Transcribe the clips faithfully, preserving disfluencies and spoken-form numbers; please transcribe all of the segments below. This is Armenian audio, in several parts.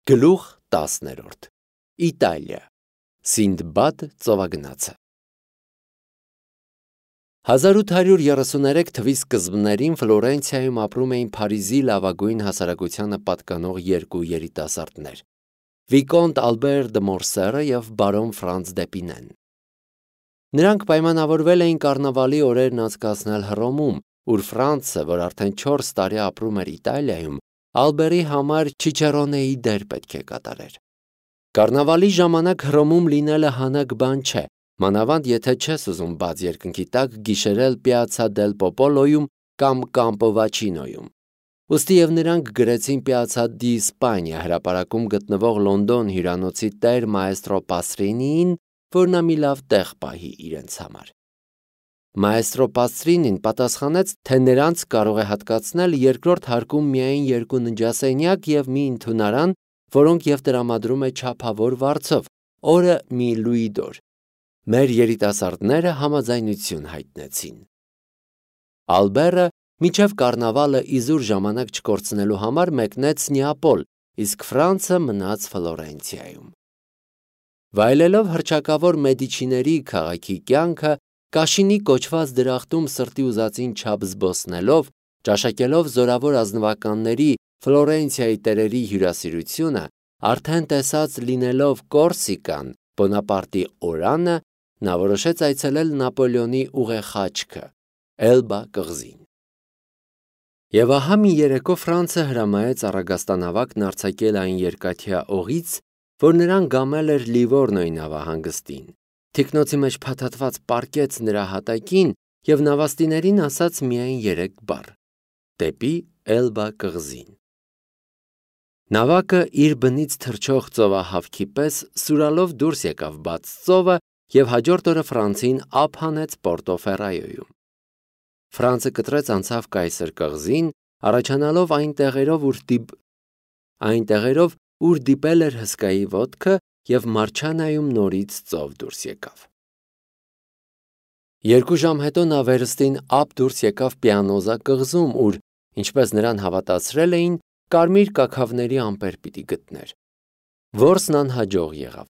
Գլուխ տասներորդ Իտալիա Սինդբադ ծովագնացը հազար ութ հարյուր երեսուներեք թվականի սկզբներին Ֆլորենցիայում ապրում էին Փարիզի լավագույն հասարակությանը պատկանող երկու երիտասարդներ՝ Վիկոնտ Ալբեր դը Մորսերը և բարոն Ֆրանց դ'Եպինեն։ Նրանք պայմանավորվել էին կառնավալի օրերն անցկացնել Հռոմում, ուր Ֆրանցը, որ արդեն չորս տարի ապրում էր Իտալիայում, Ալբերի համար չիչեռոնեի դեր պետք է կատարեր։ Կառնավալի ժամանակ Հռոմում լինելը հանաք բան չէ, մանավանդ եթե չես ուզում բաց երկնքի տակ գիշերել Պիացցա դել Պոպոլոյում կամ Կամպո Վաչինոյում։ Ուստի և նրանք գրեցին Պիացցա դի Իսպանիա հրապարակում գտնվող Լոնդոն հյուրանոցի տեր մաեստրո Պաստրինիին, որ նա մի լավ տեղ պահի իրենց համար։ Մաեստրո Պաստրինին պատասխանեց, թե նրանց կարող է հատկացնել երկրորդ հարկում միայն երկու ննջասենյակ և մի ընդունարան, որոնք և տրամադրում է չափավոր վարձով, օրը մի լուի դոր։ Մեր երիտասարդները համաձայնություն հայտնեցին։ Ալբերը մինչև կառնավալը իզուր ժամանակ չկորցնելու համար մեկնեց Նեապոլ, իսկ Ֆրանցը մնաց Ֆլորենցիայում։ Վայելելով հռչակավոր Մեդիչիների քաղաքի կյանքը, Կաշինի կոչված դրախտում սրտի ուզածին չափ զբոսնելով, ճաշակելով զորավոր ազնվականների Ֆլորենցիայի տերերի հյուրասիրությունը, արդեն տեսած լինելով Կորսիկան, Բոնապարտի օրանը, նա որոշեց այցելել Նապոլեոնի ուղեխաչքը՝ Էլբա կղզին։ Եվ ահա մի երեկո Ֆրանցը հրամայեց առագաստանավակն արձակել այն երկաթյա օղից, որ նրան գամել էր Լիվորնոյի նավահանգստին, թիկնոցի մեջ փաթաթված պառկեց նրա հատակին և նավաստիներին ասաց միայն երեք բառ՝ դեպի Էլբա կղզին։ Նավակը իր բնից թռչող ծովահավքի պես սուրալով դուրս եկավ բաց ծովը և հաջորդ օրը Ֆրանցին ափ հանեց Պորտոֆերրայոյում։ Ֆրանցը կտրեց անցավ Կայսր կղզին, առաջանալով այն տեղերով, ուր դիպ... այն տեղերով, ուր դիպել էր հսկայի ոտքը և Մարչանայում նորից ծով դուրս եկավ։ Երկու ժամ հետո նա վերստին ափ դուրս եկավ Պիանոզա կղզում, ուր, ինչպես նրան հավատացրել էին, կարմիր կաքավների ամպեր պիտի գտներ։ Որսն անհաջող եղավ։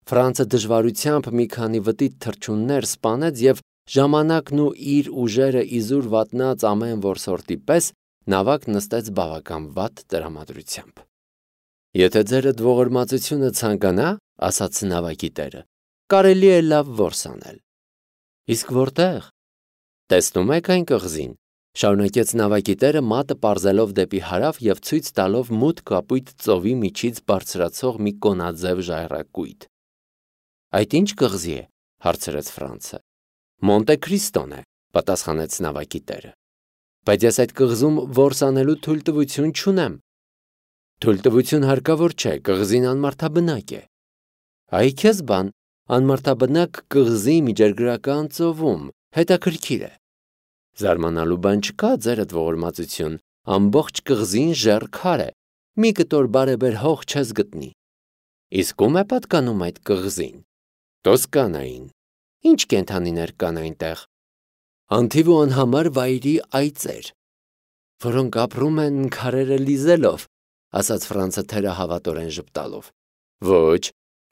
Ֆրանցը դժվարությամբ մի քանի վտիտ թռչուններ սպանեց և ժամանակն ու իր ուժերը իզուր վատնած ամեն որսորդի պես նավակը նստեց բավական վատ տրամադրությամբ։ Եթե ձերդ ողորմածությունը ցանկանա, ասաց նավակի տերը, կարելի է լավ որս անել։ Իսկ որտե՞ղ։ Տեսնում եք այն կղզին, շարունակեց նավակի տերը մատը պարզելով դեպի հարավ և ցույց տալով մութ կապույտ ծովի միջից բարձրացող մի կոնաձև ժայռակույտ։ Այդ ի՞նչ կղզի է, հարցրեց Ֆրանցը։ Մոնտե Քրիստոն է, պատասխանեց նավակի տերը։ Բայց ես այդ կղզում որս անելու թույլտվություն չունեմ։ Թույլտվություն հարկավոր չէ, կղզին անմարդաբնակ է։ Այ քեզ բան, անմարդաբնակ կղզի միջերգրական ծովում, հետաքրքիր է։ Զարմանալու բան չկա, ձերդ ողորմածություն, ամբողջ կղզին ժեռ քար է, մի կտոր բարեբեր հող չես գտնի։ Իսկ ո՞ւմ է պատկանում այդ կղզին։ Տոսկանային։ Ինչ կենդանիներ կան այնտեղ։ Անթիվ ու անհամար վայրի այծեր, որոնք ապրում են քարերը լիզելով, ասաց Ֆրանցը թերահավատորեն ժպտալով։ Ոչ,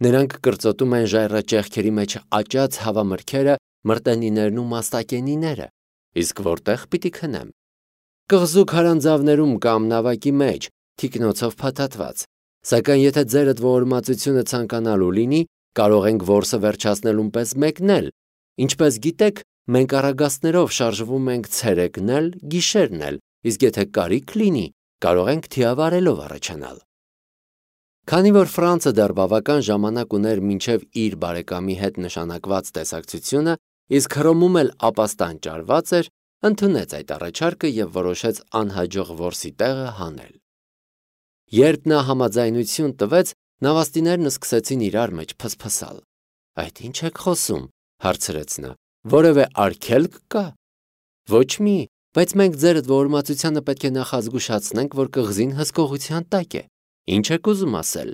նրանք կրծոտում են ժայռաճեղքերի մեջ աճած հավամրգերը, մրտենիներն ու մաստակենիները, իսկ որտեղ պիտի քնեմ։ Կղզու քարանձավներում կամ նավակի մեջ, թիկնոցով փաթաթված, սակայն եթե ձերդ ողորմածությունը ցանկանալու լինի, կարող ենք որսը վերջացնելուն պես մեկնել, ինչպես գիտեք, մենք առագաստներով շարժվում ենք ցերեկն էլ, գիշերն էլ, իսկ եթե կարիք լինի, կարող ենք թիավարելով առաջանալ։ Քանի որ Ֆրանցը դեռ բավական ժամանակ ուներ մինչև իր բարեկամի հետ նշանակված տեսակցությունը, իսկ Հռոմում էլ ապաստան ճարված էր, ընդունեց այդ առաջարկը և որոշեց անհաջող որսի տեղը հանել։ Երբ նա համաձայնություն տվեց, նավաստիներն սկսեցին իրար մեջ փսփսալ։ Այդ ի՞նչ եք խոսում, հարցրեց նա, որևէ արգելք կա։ Ոչ մի, բայց մենք ձերդ ողորմածությանը պետք է նախազգուշացնենք, որ կղզին հսկողության տակ է։ Ինչ եք ուզում ասել։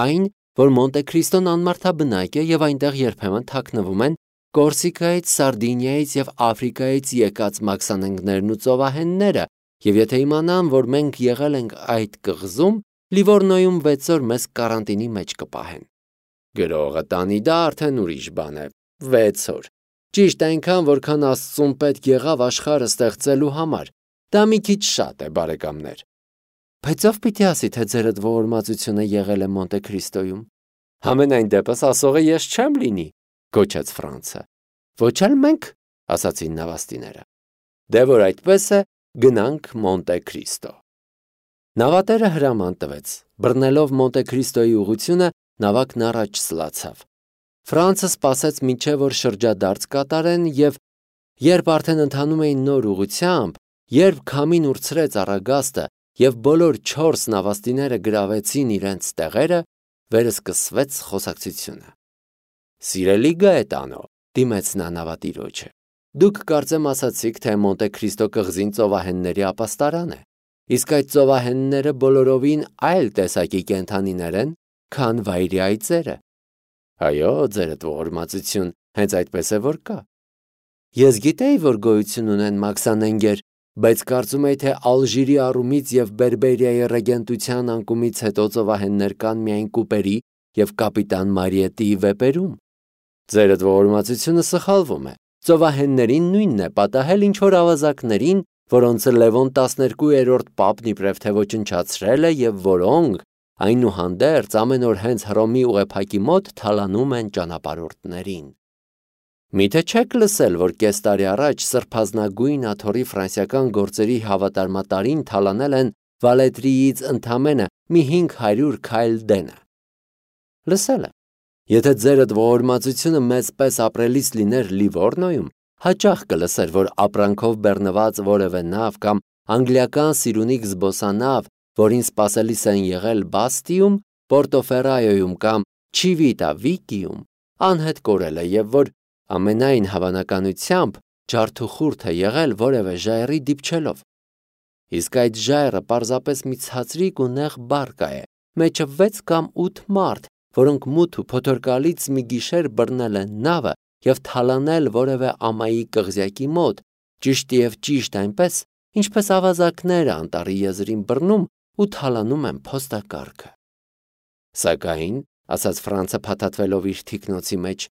Այն, որ Մոնտե Քրիստոն անմարդաբնակ է և այնտեղ երբեմն թաքնվում են Կորսիկայից, Սարդինիայից և Աֆրիկայից եկած մաքսանենգներն ու ծովահենները, և եթե իմանան, որ մենք եղել ենք այդ կղզում, Լիվորնոյում վեց օր մեզ կարանտինի մեջ կպահեն։ Գրողը տանի դա արդեն ուրիշ բան է։ վեց օր։ Ճիշտ այնքան, որքան Աստծուն պետք եղավ աշխարհը ստեղծելու համար։ Դա մի քիչ շատ է, բարեկամներ։ Բայց ով պիտի ասի, թե ձերդ ողորմածությունը եղել է Մոնտե Քրիստոյում։ Համենայն դեպս ասողը ես չեմ լինի, գոչեց Ֆրանցը։ Ոչ էլ մենք, ասացին նավաստիները։ Դե որ այդպես է, գնանք Մոնտե Քրիստո։ Նավատերը հրաման տվեց։ Բռնելով Մոնտե Քրիստոյի ուղությունը, նավակն առաջ սլացավ։ Ֆրանցը սպասեց մինչև որ շրջադարձ կատարեն եւ երբ արդեն ընթանում էին նոր ուղությամբ, երբ քամին ուրցրեց առագաստը եւ բոլոր չորս նավաստիները գրավեցին իրենց տեղերը, վերսկսվեց խոսակցությունը։ Սիրելի Գաետանո, դիմեց նա նավատիրոջը, դուք կարծեմ ասացիք, թե Մոնտե Քրիստո կղզին ծովահենների ապաստարան է, իսկ այդ ծովահենները բոլորովին այլ տեսակի կենդանիներ են, քան վայրի այծերը։ Այո, ձերդ ողորմածություն, հենց այդպես է որ կա։ Ես գիտեի, որ գոյություն ունեն մաքսանենգեր, բայց կարծում էի, թե Ալժիրի առումից եւ Բերբերիայի ռեգենտության անկումից հետո ծովահեններ կան միայն Կուպերի եւ կապիտան Մարիետիի վեպերում։ Ձերդ ողորմածությունը սխալվում է։ Ծովահեններին նույնն է պատահել ինչ որ ավազակներին, որոնց Լևոն տասներկուերորդ պապն իբրև թե ոչնչացրել է եւ որոնք այնուհանդերձ ամեն օր հենց Հռոմի ուղեփակի մոտ թալանում են ճանապարհորդներին։ Միթե չեք լսել, որ կես տարի առաջ սրբազնագույն աթոռի ֆրանսիական գործերի հավատարմատարին թալանել են Վալետրիից ընդամենը մի հինգ հարյուր քայլ դենը։ Լսել եմ։ Եթե ձերդ ողորմածությունը մեծպես ապրելիս լիներ Լիվորնոյում, հաճախ կլսեր, որ ապրանքով բեռնված որևէ նավ կամ անգլիական սիրունիկ զբոսանավ, որին սպասելիս են եղել Բաստիում, Պորտոֆերայոյում կամ Չիվիտա Վիկիում, անհետ կորել է եւ որ ամենայն հավանականությամբ ջարդուխուրդ է եղել որևէ ժայռի դիպչելով։ Իսկ այդ ժայռը պարզապես մի ցածրիկ ու նեղ բարկա է, մեջը վեց կամ ութ մարդ, որոնք մութ ու փոթորկալից մի գիշեր բռնել են նավը եւ թալանել որևէ ամայի կղզյակի մոտ, ճիշտ եւ ճիշտ այնպես, ինչպես ավազակները անտառի եզրին բռնում ու թալանում են փոստակառքը։ Սակայն, ասաց Ֆրանցը փաթաթվելով իր թիկնոցի մեջ,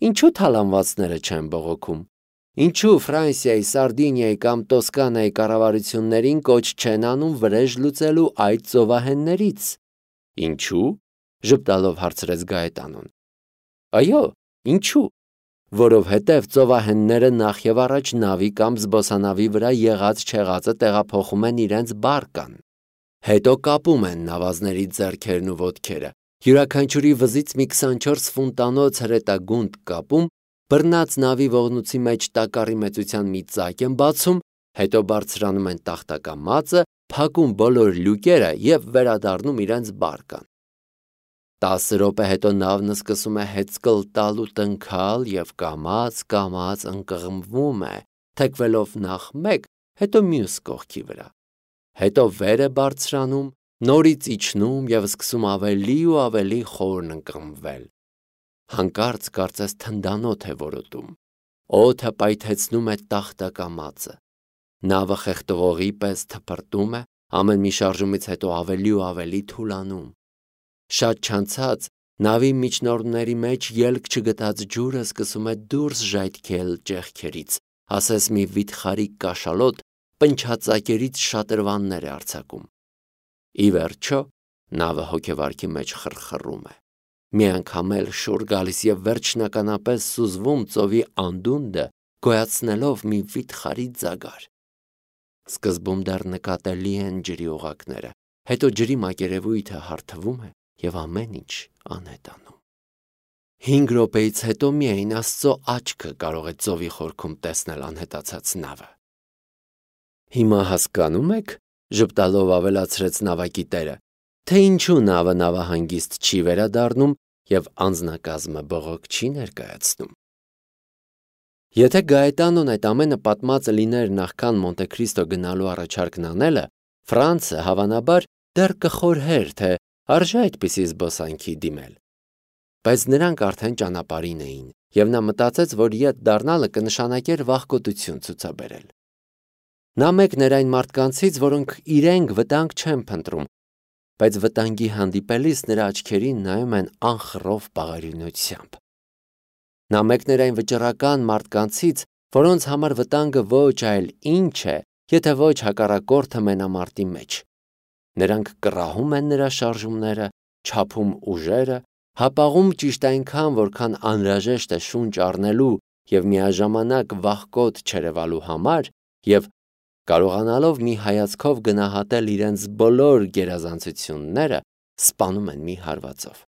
ինչու թալանվածները չեն բողոքում։ Ինչու Ֆրանսիայի, Սարդինիայի կամ Տոսկանայի կառավարություններին կոչ չեն անում վրեժ լուծելու այդ ծովահեններից։ Ինչու՞, ժպտալով հարցրեց Գաետանոն։ Այո, ինչու։ Որովհետև ծովահենները նախ եւ առաջ նավի կամ զբոսանավի վրա եղած չեղածը տեղափոխում են իրենց բարկան։ Հետո կապում են նավազների ձեռքերն ու ոտքերը, յուրաքանչյուրի վզից մի քսանչորս ֆունտանոց հրետագունդ կապում, բռնած նավի ողնուցի մեջ տակառի մեծության մի ծակ են բացում, հետո բարձրանում են տախտակամածը, փակում բոլոր լյուկերը եւ վերադառնում իրենց բարկան։ Տասը րոպե հետո նավն սկսում է հեծկլ տալ ու տնքալ եւ կամաց-կամաց ընկղմվում է, թեքվելով նախ մեկ, հետո մյուս կողքի վրա։ Հետո վեր է բարձրանում, նորից իջնում եւ սկսում ավելի ու ավելի խորն ընկղմվել։ Հանկարծ կարծես թնդանոթ է որոտում։ Օդը պայթեցնում է տախտակամածը։ Նավը խեղդողի պես թփրտում է, ամեն մի շարժումից հետո ավելի ու ավելի թուլանում։ Շատ չանցած նավի միջնորդների մեջ ելք չգտած ջուրը սկսում է դուրս ժայթքել ճեղքերից, ասես մի վիթխարի կաշալոտ պնչածակերից շատրվաններ է արձակում։ Ի վերջո նավը հոգեվարքի մեջ խրխռում է։ Մի անգամ էլ շուռ գալիս եւ վերջնականապես սուզվում ծովի անդունդը, գոյացնելով մի վիթխարի ձագար։ Սկզբում դեռ նկատելի են ջրի օղակները, հետո ջրի մակերևույթը հարթվում է եւ ամեն ինչ անհետանում։ Հինգ րոպեից հետո միայն Աստծո աչքը կարող է ծովի խորքում տեսնել անհետացած նավը։ Հիմա հասկանում եք, ժպտալով ավելացրեց նավակի տերը, թե ինչու նավը նավահանգիստ չի վերադառնում եւ անձնակազմը բողոք չի ներկայացնում։ Եթե Գաետանոն այդ ամենը պատմածը լիներ նախքան Մոնտե Քրիստո գնալու առաջարկն անելը, Ֆրանցը հավանաբար դեռ կխորհեր, թե արժե այդպիսի զբոսանքի դիմել։ Բայց նրանք արդեն ճանապարհին էին, եւ նա մտածեց, որ ետ դառնալը կնշանակեր վախկոտություն ցուցաբերել։ Նա մեկն էր այն մարդկանցից, որոնք իրենք վտանգ չեն փնտրում, բայց վտանգի հանդիպելիս նրա աչքերին նայում են անխռով բաղարինությամբ։ Նա մեկն էր այն վճռական մարդկանցից, որոնց համար վտանգը ոչ այլ ինչ է, եթե ոչ հակառակորդը մենամարտի մեջ։ Նրանք կռահում են նրա շարժումները, չափում ուժերը, հապաղում ճիշտ այնքան, որքան անհրաժեշտ է շունչ առնելու և միաժամանակ վախկոտ չերևալու համար և կարողանալով մի հայացքով գնահատել իրենց բոլոր գերազանցությունները, սպանում են մի հարվածով։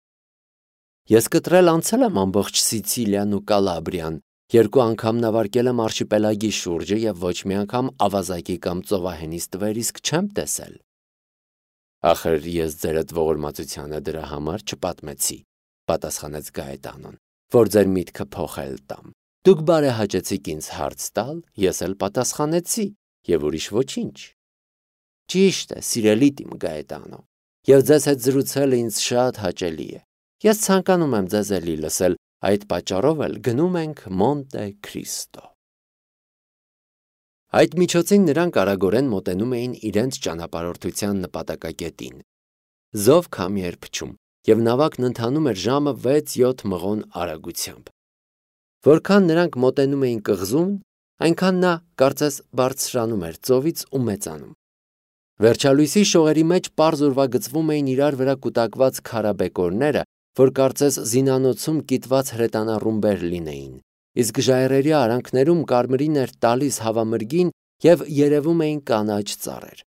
Ես կտրել անցել եմ ամբողջ Սիցիլիան ու Կալաբրիան, երկու անգամ նավարկել եմ արշիպելագի շուրջը և ոչ մի անգամ ավազակի կամ ծովահենից տվերիսկ չեմ տեսել։ Ախր ես ձերդ ողորմածությանը դրա համար չպատմեցի, պատասխանեց Գաետանոն, որ ձեր միտքը փոխել տամ։ Դուք բարեհաճեցիք ինձ հարց տալ, ես էլ պատասխանեցի, և ուրիշ ոչինչ։ Ճիշտ է, սիրելի տիմ Գաետանո, և ձեզ հետ զրուցելը ինձ շատ հաճելի է։ Ես ցանկանում եմ ձեզ էլի լսել, այդ պատճառով էլ գնում ենք Մոնտե Քրիստո։ Այդ միջոցին նրանք արագորեն մոտենում էին իրենց ճանապարհորդության նպատակակետին։ Զով քամի էր փչում, և նավակն ընթանում էր ժամը վեց-յոթ մղոն արագությամբ։ Որքան նրանք մոտենում էին կղզուն, այնքան նա կարծես բարձրանում էր ծովից ու մեծանում։ Վերջալույսի շողերի մեջ պարզ ուրվագծվում էին իրար վրա կուտակված քարաբեկորները, որ կարծես զինանոցում կիտված հրետանառումբեր լինեին, իսկ ժայռերի արանքներում կարմիրին էր տալիս հավամրգին և երևում էին կանաչ ծառեր։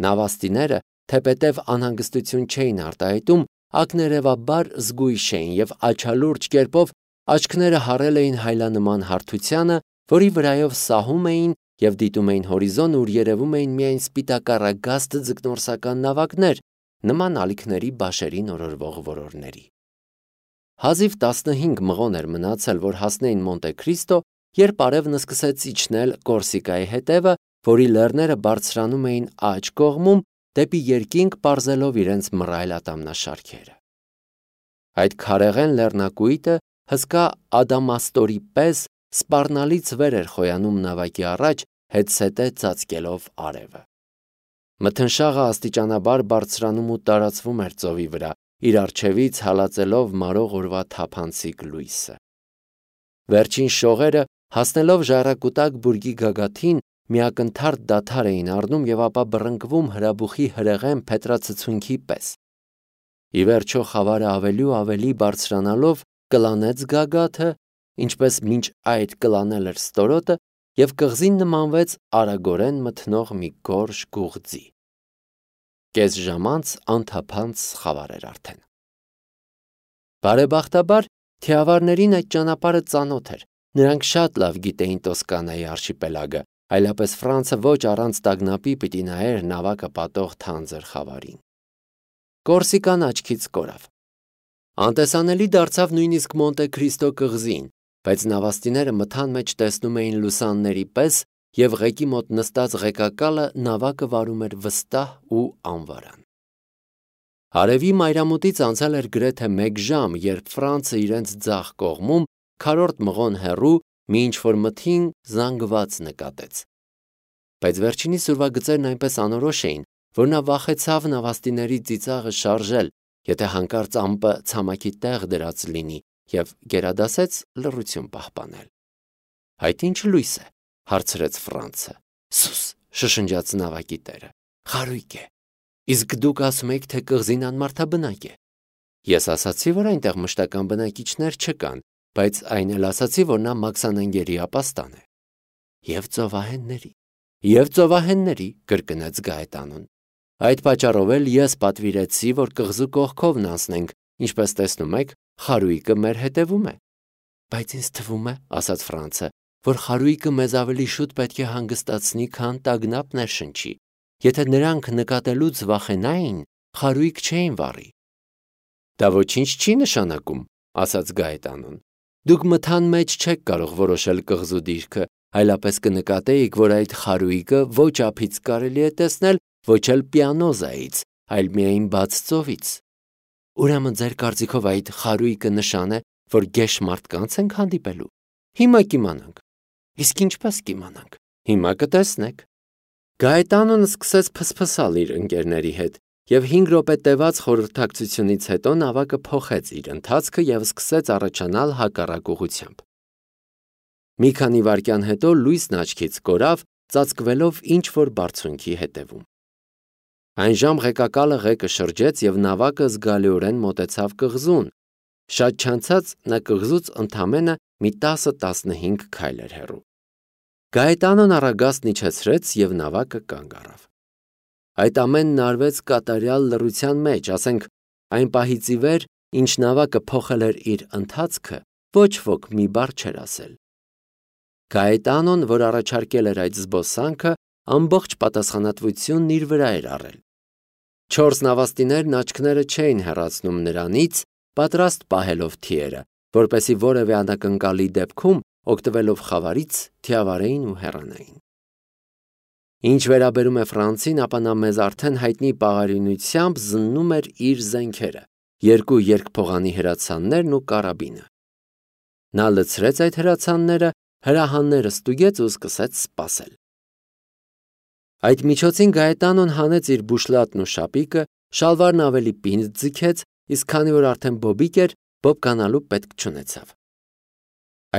Նավաստիները, թեպետև անհանգստություն չէին արտահայտում, ակներևաբար զգույշ էին և աչալուրջ կերպով աչքները հառել էին հայլանման հարթությանը, որի վրայով սահում էին և դիտում էին հորիզոն, ուր երևում էին միայն սպիտակառագաստ ձկնորսական նավակներ, նման ալիքների բաշերին օրորվող որորների։ Հազիվ տասնհինգ մղոն էր մնացել, որ հասնեին Մոնտե Քրիստո, երբ արևն սկսեց իջնել Կորսիկայի հետևը, որի լեռները բարձրանում էին աջ կողմում, դեպի երկինք պարզելով իրենց մռայլ ատամնաշարքերը։ Այդ քարեղեն լեռնակույտը հսկա ադամաստորի պես սպառնալից վեր էր խոյանում նավակի առաջ, հետզհետե ծածկելով արևը։ Մթնշաղը աստիճանաբար բարձրանում ու տարածվում էր ծովի վրա, իր առջևից հալածելով մարող օրվա թափանցիկ լույսը։ Վերջին շողերը, հասնելով ժայռակուտակ բուրգի գագաթին, միակնթարթ դադար էին առնում և ապա բռնկվում հրաբուխի հրեղեն փետրածցունքի պես։ Ի վերջո խավարը ավելի ու ավելի բարձրանալով կլանեց գագաթը, ինչպես մինչ այդ կլանել էր ստորոտը, և կղզին նմանվեց արագորեն մթնող մի գորշ գուղձի։ Կես ժամ անց անթափանց խավար էր արդեն։ Բարեբախտաբար թիավարներին այդ ճանապարհը ծանոթ էր, նրանք շատ լավ գիտեին Տոսկանայի արշիպելագը, այլապես Ֆրանցը ոչ առանց տագնապի պիտի նայեր նավակը պատող թանձր խավարին։ Կորսիկան աչքից կորավ։ Անտեսանելի դարձավ նույնիսկ Մոնտե Քրիստո կղզին, բայց նավաստիները մթան մեջ տեսնում էին լուսանների պես, և ղեկի մոտ նստած ղեկակալը նավակը վարում էր վստահ ու անվարան։ Արևի մայրամուտից անցել էր գրեթե մեկ ժամ, երբ Ֆրանցը իրենց ձախ կողմում, քառորդ մղոն հեռու, մի ինչ-որ մթին զանգված նկատեց։ Բայց վերջինիս ուրվագծերն այնպես անորոշ էին, որ նա վախեցավ նավաստիների ծիծաղը շարժել, եթե հանկարծ ամպը ցամաքի տեղ դրած լինի, և գերադասեց լռություն պահպանել։ Այդ ի՞նչ լույս է, հարցրեց Ֆրանցը։ Սուս, շշնջաց նավակի տերը, խարույկ է։ Իսկ դուք ասում եք, թե կղզին անմարդաբնակ է։ Ես ասացի, որ այնտեղ մշտական բնակիչներ չկան, բայց այն էլ ասացի, որ նա մաքսանենգերի ապաստան է։ Եվ ծովահենների, և ծովահենների, կրկնեց Գաետանոն։ Այդ պատճառով էլ ես պատվիրեցի, որ կղզու կողքովն անցնենք, ինչպես տեսնում եք, խարույկը մեր հետևում է։ Բայց ինձ թվում է, ասաց Ֆրանցը, որ խարույկը մեզ ավելի շուտ պետք է հանգստացնի, քան տագնապ ներշնչի։ Եթե նրանք նկատելուց վախենային, խարույկ չէին վառի։ Դա ոչինչ չի նշանակում, ասաց Գաետանոն։ Դուք մթան մեջ չեք կարող որոշել կղզու դիրքը, այլապես կնկատեիք, որ այդ խարույկը ոչ ափից կարելի է տեսնել, ոչ էլ պիանոզայից, այլ միայն բաց ծովից։ Ուրեմն ձեր կարծիքով այդ խարույկը նշան է, որ գեշ մարդկանց ենք հանդիպելու։ Հիմա կիմանանք։ Իսկ ինչպես կիմանանք։ Հիմա կտեսնեք։ Գաետանոն սկսեց փսփսալ իր ընկերների հետ, եւ հինգ րոպե տևած խորհրդակցությունից հետո նավակը փոխեց իր ընթացքը եւ սկսեց առաջանալ հակառակ ուղղությամբ։ Մի քանի վայրկյան հետո լույսն աչքից կորավ, ծածկվելով ինչ-որ բարձունքի հետևում։ Այն ժամ ղեկակալը ղեկը շրջեց եւ նավակը զգալիորեն մոտեցավ կղզուն։ Շատ չանցած նա կղզուց ընդամենը մի տասը տասնհինգ քայլ էր հեռու։ Գայետանոն առագաստն իջեցրեց եւ նավակը կանգ առավ։ Այդ ամենն արվեց կատարյալ լռության մեջ, ասենք այն պահից ի վեր, ինչ նավակը փոխել էր իր ընթացքը, ոչ ոք մի բառ չէր ասել։ Գայետանոն, որ առաջարկել էր այդ զբոսանքը, ամբողջ պատասխանատվությունն իր վրա էր առել։ Չորս նավաստիներն աչքները չէին հեռացնում նրանից, պատրաստ պահելով թիերը, որպեսզի որևէ անակնկալի դեպքում, օգտվելով խավարից, թիավարեին ու հեռանային։ Ինչ վերաբերում է Ֆրանցին, ապա նա մեզ արդեն հայտնի պաղարինությամբ զննում էր իր զենքերը, երկու երկփողանի հրացաններն ու կարաբինը։ Նա լցրեց այդ հրացանները, հրահանները ստուգեց ու սկսեց սպասել։ Այդ միջոցին Գայետանոն հանեց իր բուշլատն ու շապիկը, շալվարն ավելի պինդ ձգեց, իսկ քանի որ արդեն բոբիկ էր, բոբկանալու պետք չունեցավ։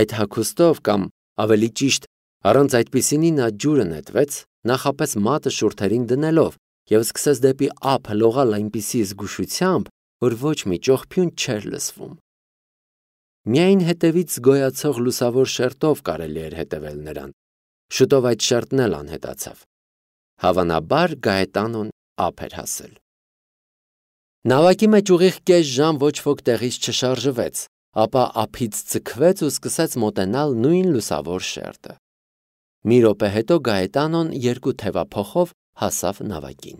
Այդ հագուստով կամ ավելի ճիշտ, առանց այդպիսինի նա ջուրը նետվեց, նախապես մատը շուրթերին դնելով եւ սկսեց դեպի ափ լողալ այնպիսի զգուշությամբ, որ ոչ մի ճողփյուն չէր լսվում։ Միայն հետևից գոյացող լուսավոր շերտով կարելի էր հետևել նրան։ Շուտով այդ շերտն էլ անհետացավ։ Հավանաբար Գայետանոն ափ էր հասել։ Նավակի մեջ ուղիղ կես ժամ ոչ ոք տեղից չշարժվեց, ապա ափից ձգվեց ու սկսեց մոտենալ նույն լուսավոր շերտը։ Մի րոպե հետո Գայետանոն երկու թևափոխով հասավ նավակին։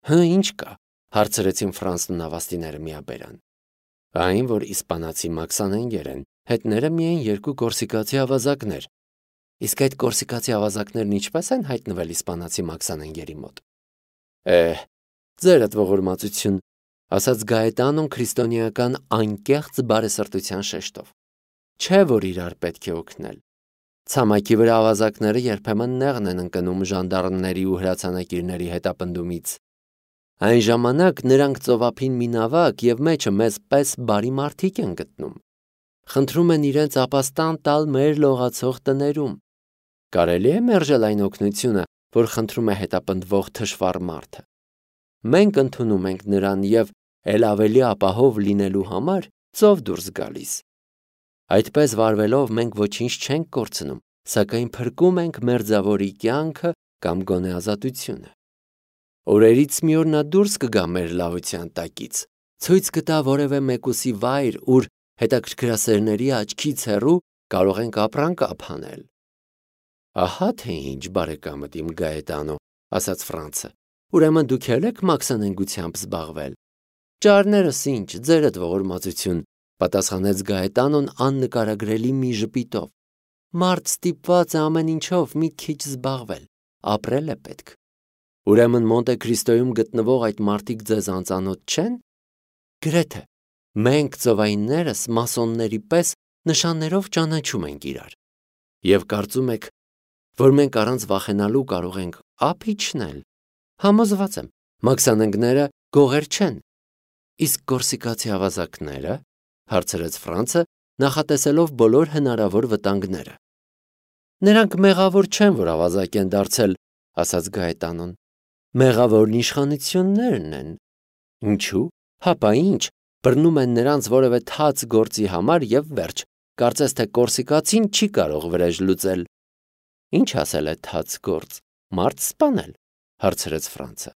Հը, ինչ կա, հարցրեցին Ֆրանսն ու նավաստիները միաբերան։ Այն, որ իսպանացի մաքսանենգեր են, հետները միայն երկու կորսիկացի ավազակներ։ Իսկ այդ կորսիկացի ավազակներն ինչպես են հայտնվել իսպանացի մաքսանենգերի մոտ։ Է, ձերդ ողորմածություն, ասաց Գայետանոն քրիստոնեական անկեղծ բարեսրտության շեշտով։ Չէ, որ իրար պետք է օգնել։ Ցամաքի վրա ավազակները երբեմն նեղն են ընկնում ժանդարմների ու հրացանակիրների հետապնդումից։ Այն ժամանակ նրանք ծովափին մի նավակ եւ մեջը մեզ պես բարի մարդիկ են գտնում։ Խնդրում են իրենց ապաստան տալ մեր լողացող տներում։ Կարելի է մերժել այն օգնությունը, որ խնդրում է հետապնդվող թշվառ մարդը։ Մենք ընդունում ենք նրան եւ ել ավելի ապահով լինելու համար ծով դուրս գալիս։ Այդպես վարվելով մենք ոչինչ չենք կորցնում, սակայն փրկում ենք մերձավորի կյանքը կամ գոնե ազատությունը։ Օրերից մի օր նա դուրս կգա մեր լավության տակից, ցույց կտա որևէ մեկուսի վայր, ուր հետաքրքրասերների աչքից հեռու կարող ենք ապրանք ափանել։ Ահա թե ինչ, բարեկամդ իմ Գայետանո, ասաց Ֆրանսը, ուրեմն դուք ել եք մաքսանենգությամբ զբաղվել։ Ճարներս ինչ, ձերդ ողորմածություն, պատասխանեց Գայետանոն աննկարագրելի մի ժպիտով։ Մարդ ստիպված է ամեն ինչով մի քիչ զբաղվել, ապրել է պետք։ Ուրեմն Մոնտե Քրիստոյում գտնվող այդ մարդիկ ձեզ անծանոթ չեն։ Գրեթե մենք ծովայիններս մասոնների պես նշաններով ճանաչում ենք իրար։ Եվ կարծում եք, որ մենք առանց վախենալու կարող ենք ափ իջնել։ Համոզված եմ, մաքսանենգները գողեր չեն։ Իսկ կորսիկացի ավազակները, հարցրեց Ֆրանսը, նախատեսելով բոլոր հնարավոր վտանգները։ Նրանք մեղավոր չեն, որ ավազակ են դարձել, ասաց Գայետանոն։ Մեղավորն իշխանություններն են։ Ինչու՞։ Հապա ինչ, բռնում են նրանց որևէ թաց գործի համար եւ վերջ։ Կարծես թե կորսիկացին չի կարող վրեժ լուծել։ Ինչ ասել է թաց գործ։ Մարդ սպանել, հարցրեց Ֆրանսը։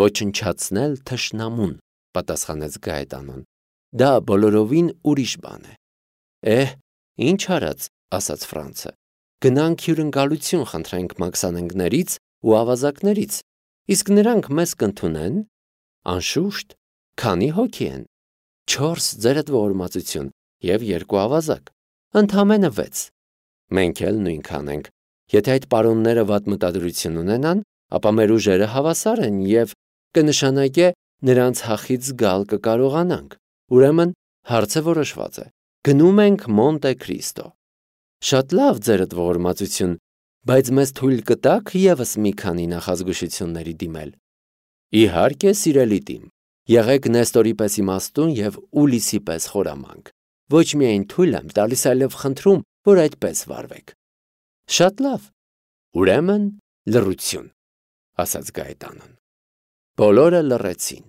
Ոչնչացնել թշնամուն, պատասխանեց Գայետանոն։ Դա բոլորովին ուրիշ բան է։ Էհ, ինչ արած, ասաց Ֆրանսը։ Գնանք հյուրընկալություն խնդրենք մաքսանենգներից ու ավազակներից, իսկ նրանք մեզ կընդունեն։ Անշուշտ, քանի հոգի են։ Չորս ձերդ ողորմածություն եւ երկու ավազակ, ընդամենը վեց։ Մենք էլ նույնքան ենք։ Եթե այդ պարոնները վատ մտադրություն ունենան, ապա մեր ուժերը հավասար են եւ կնշանակե նրանց հախից գալ կկարողանանք։ Ուրեմն հարցը որոշված է։ Գնում ենք Մոնտե Քրիստո։ Շատ լավ, ձերդ ողորմածություն, բայց մեզ թույլ կտաք եւս մի քանի նախազգուշությունների դիմել։ Իհարկե, սիրելի տիմ, եղեք Նեստորի պես իմաստուն և Ուլիսի պես խորամանկ, ոչ միայն թույլ եմ տալիս, այլև խնդրում, որ այդպես վարվեք։ Շատ լավ, ուրեմն լռություն, ասաց Գայետանոն։ Բոլորը լռեցին։